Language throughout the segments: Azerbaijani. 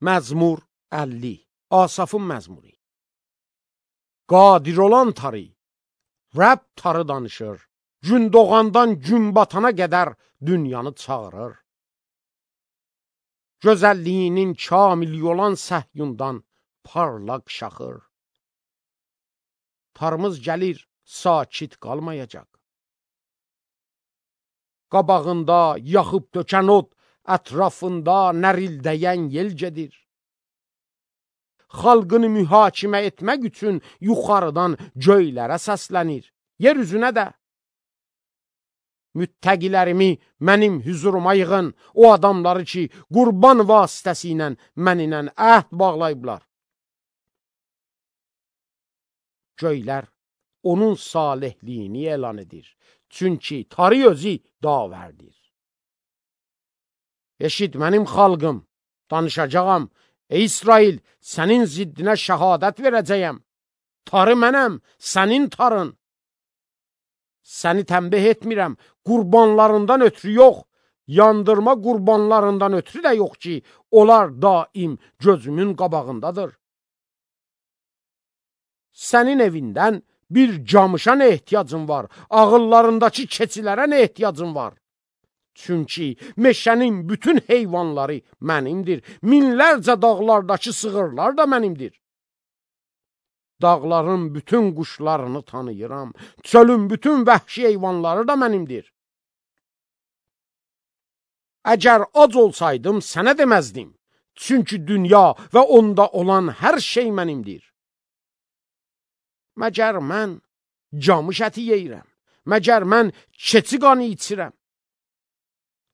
Məzmur 50. Asafın məzmuru. Qadir olan tarı, Rəbb tarı danışır. Gün doğandan gün batana qədər dünyanı çağırır. Gözəlliyinin kamili olan Səhyundan parlaq şaxır. Tarımız gəlir, sakit qalmayacaq. Qabağında yaxıb tökən od, ətrafında nərildəyən yel gedir. Xalqını mühakimə etmək üçün yuxarıdan göylərə səslənir, yer üzünə də. Müttəqilərimi mənim hüzuruma yığın, o adamları ki, qurban vasitəsilə mənimlə əhd bağlayıblar. Göylər onun salihliyini elan edir, çünki tarı özü davərdir. Eşit mənim xalqım, danışacağam. Ey İsrail, sənin ziddinə şəhadət verəcəyəm. Tarı mənəm, sənin tarın. Səni tənbih etmirəm, qurbanlarından ötürü yox, yandırma qurbanlarından ötürü də yox ki, onlar daim gözümün qabağındadır. Sənin evindən bir camışa nə ehtiyacın var, ağıllarındakı keçilərə nə ehtiyacın var? Çünki meşənin bütün heyvanları mənimdir, minlərcə dağlardakı sığırlar da mənimdir. Dağların bütün quşlarını tanıyıram, çölün bütün vəhşi heyvanları da mənimdir. Əgər ac olsaydım, sənə deməzdim, çünki dünya və onda olan hər şey mənimdir. Məgər mən camış əti yeyirəm, məgər mən keçi qanı içirəm.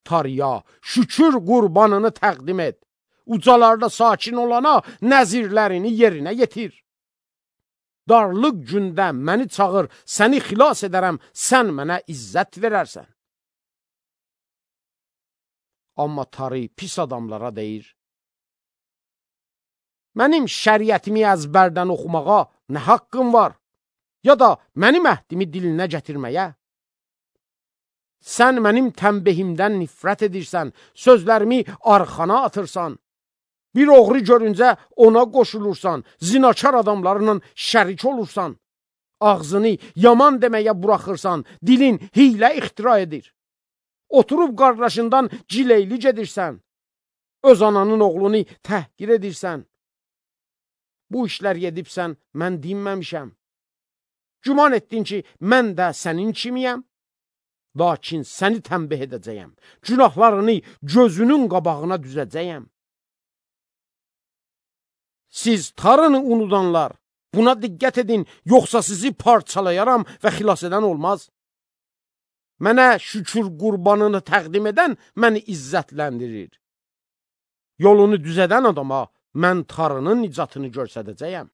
Tarıya şükür qurbanını təqdim et, ucalarda sakin olana nəzirlərini yerinə yetir. Darlıq gündə məni çağır, səni xilas edərəm, sən mənə izzət verərsən. Amma tarı pis adamlara deyir, mənim şəriətimi əzbərdən oxumağa nə haqqım var, ya da mənim əhdimi dilinə gətirməyə? Sən mənim tənbihimdən nifrət edirsən, sözlərimi arxana atırsan. Bir oğru görüncə ona qoşulursan, zinakar adamlarla şərik olursan. Ağzını yaman deməyə buraxırsan, dilin hiylə ixtira edir. Oturub qardaşından cileyli gedirsən. Öz ananın oğlunu təhqir edirsən. Bu işlər edibsən, mən dinməmişəm. Güman etdin ki, mən də sənin kimiyəm? Lakin səni tənbih edəcəyəm. Günahlarını gözünün qabağına düzəcəyəm. Siz tarını unudanlar, buna diqqət edin, yoxsa sizi parçalayaram və xilas edən olmaz. Mənə şükür qurbanını təqdim edən məni izzətləndirir. Yolunu düzədən adama mən tarının nicatını göstərəcəyəm.